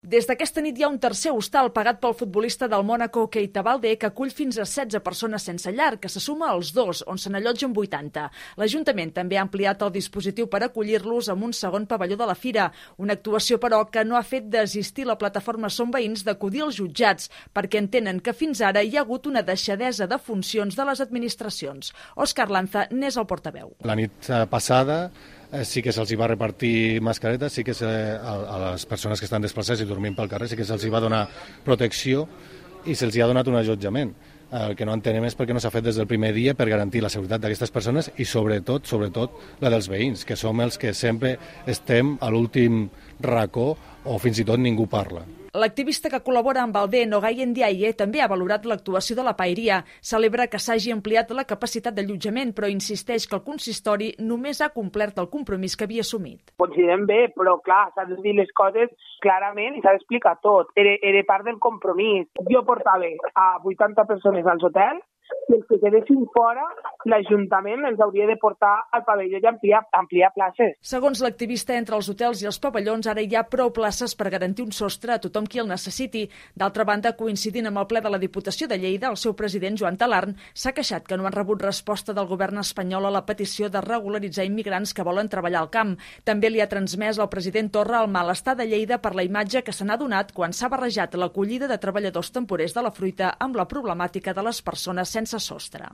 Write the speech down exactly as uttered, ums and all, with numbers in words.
Des d'aquesta nit hi ha un tercer hostal pagat pel futbolista del Mónaco Keita Balde que acull fins a setze persones sense llar, que se suma als dos, on se n'allotgen vuitanta. L'Ajuntament també ha ampliat el dispositiu per acollir-los amb un segon pavelló de la fira, una actuació, però, que no ha fet desistir la plataforma Som Veïns d'acudir als jutjats, perquè entenen que fins ara hi ha hagut una deixadesa de funcions de les administracions. Òscar Lanza n'és el portaveu. La nit passada sí que se'ls va repartir mascaretes, sí que se, a, a les persones que estan desplaçades i dormint pel carrer sí que se'ls va donar protecció i se'ls ha donat un allotjament. El que no entenem és perquè no s'ha fet des del primer dia per garantir la seguretat d'aquestes persones i sobretot, sobretot la dels veïns, que som els que sempre estem a l'últim racó o fins i tot ningú parla. L'activista que col·labora amb Balde, Nogayen Ndiaye, també ha valorat l'actuació de la paeria. Celebra que s'hagi ampliat la capacitat d'allotjament, però insisteix que el consistori només ha complert el compromís que havia assumit. Considerem bé, però clar, s'ha de dir les coses clarament i s'ha d'explicar tot. Era, era part del compromís. Jo portava a vuitanta persones als hotels i els que quedessin fora, l'Ajuntament els hauria de portar al pavelló i ampliar, ampliar places. Segons l'activista, entre els hotels i els pavellons ara hi ha prou places per garantir un sostre a tothom qui el necessiti. D'altra banda, coincidint amb el ple de la Diputació de Lleida, el seu president, Joan Talarn, s'ha queixat que no han rebut resposta del govern espanyol a la petició de regularitzar immigrants que volen treballar al camp. També li ha transmès al president Torra el malestar de Lleida per la imatge que se n'ha donat quan s'ha barrejat l'acollida de treballadors temporers de la fruita amb la problemàtica de les persones sense sostre.